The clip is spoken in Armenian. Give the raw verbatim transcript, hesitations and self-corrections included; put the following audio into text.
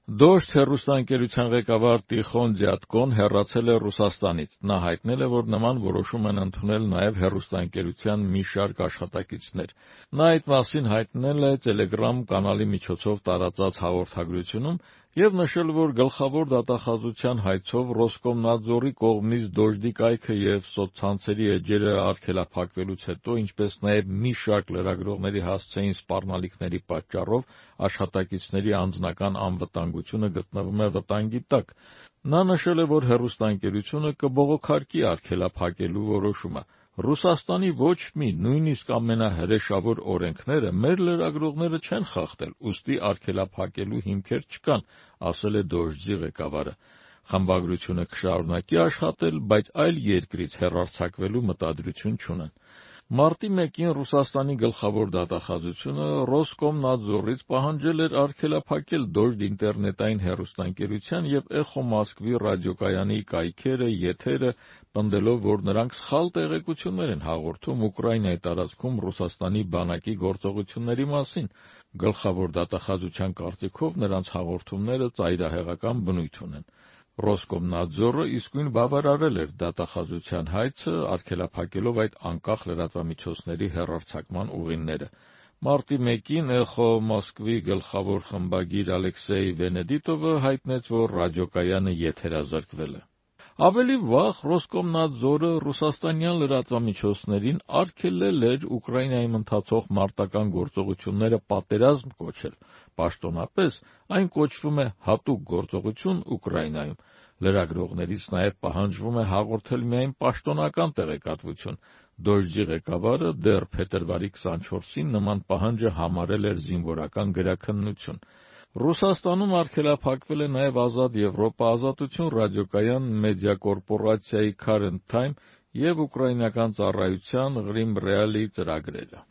Դոժդ հեռուստաընկերության ղեկավար Տիխոն Ձյատկոն հեռացել է Ռուսաստանից։ Նա հայտնել է, որ նման որոշում են ընդունել նաև հեռուստաընկերության մի շարք աշխատակիցներ։ Նա այդ մասին հայտնել է Telegram կանալի միջոցով տարածած հաղորդագրությունում և նշել, որ գլխավոր դատախազության հայցով Ռոսկոմնադզորի կողմից Դոժդի կայքը և սոցցանցերի էջերը արգելափակվելուց հետո, ինչպես նաև մի շարք լրագրողների հասցեին սպառնալիքների պատճառով աշխատակիցների անձնական անվտանգությունը գտնվում է վտանգի տակ։ Նա նշել է, որ հեռուստաընկերությունը կբողոքարկի արգելափակելու որոշումը։ Ռուսաստանի ոչ մի, նույնիսկ ամենահրեշավոր օրենքները մեր լրագրողները չեն խախտել, ուստի արգելափակելու հիմքեր չկան, ասել է Դոժդի ղեկավարը։ Խմբագրությունը կշարունակի աշխատել, բայց այլ երկրից հեռարձակվելու մտադրություն չունեն։ Մարտի մեկին Ռուսաստանի գլխավոր դատախազությունը Ռոսկոմնադզորից պահանջել էր արգելափակել Դոժդ ինտերնետային հեռուստաընկերության և Էխո Մոսկվի ռադիոկայանի կայքերը, եթերը, պնդելով, որ նրանք սխալ տեղեկություններ են հաղորդում Ուկրաինայի տարածքում Ռուսաստանի բանակի գործողությունների մասին։ Գլխավոր դատախազության կարծիքով նրանց հաղորդումները ծայրահեղական բնույթ ունեն։ Ռոսկոմնադզորը իսկույն բավարարել էր դատախազության հայցը, արգելափակելով այդ անկախ լրատվամիջոցների հեռարձակման ուղիները։ Մարտի մեկին Էխո Մոսկվի գլխավոր խմբագիր Ալեքսեյ Վենեդիտովը հայտնեց, որ ռադիոկայանը եթերազրկվել է։ Ավելի վաղ Ռոսկոմնադզորը ռուսաստանյան լրատվամիջոցներին արգելել էր Ուկրաինայում ընթացող մարտական գործողությունները պատերազմ կոչել։ Պաշտոնապես այն կոչվում է հատուկ գործողություն Ուկրաինայում։ Լրագրողներից նաև պահանջվում է հաղորդել միայն պաշտոնական տեղեկատվություն։ Դոժդի ղեկավարը դեռ փետրվարի քսանչորսին նման պահանջը համարել էր զինվորական գրաքննություն։ Ռուսաստանում արգելափակվել է նաև Ազատ Եվրոպա, Ազատություն ռադիոկայան, մեդիակորպորացիայի Current Time և ուկրաինական ծառայության Ղրիմ Ռեալի ծրագրերը։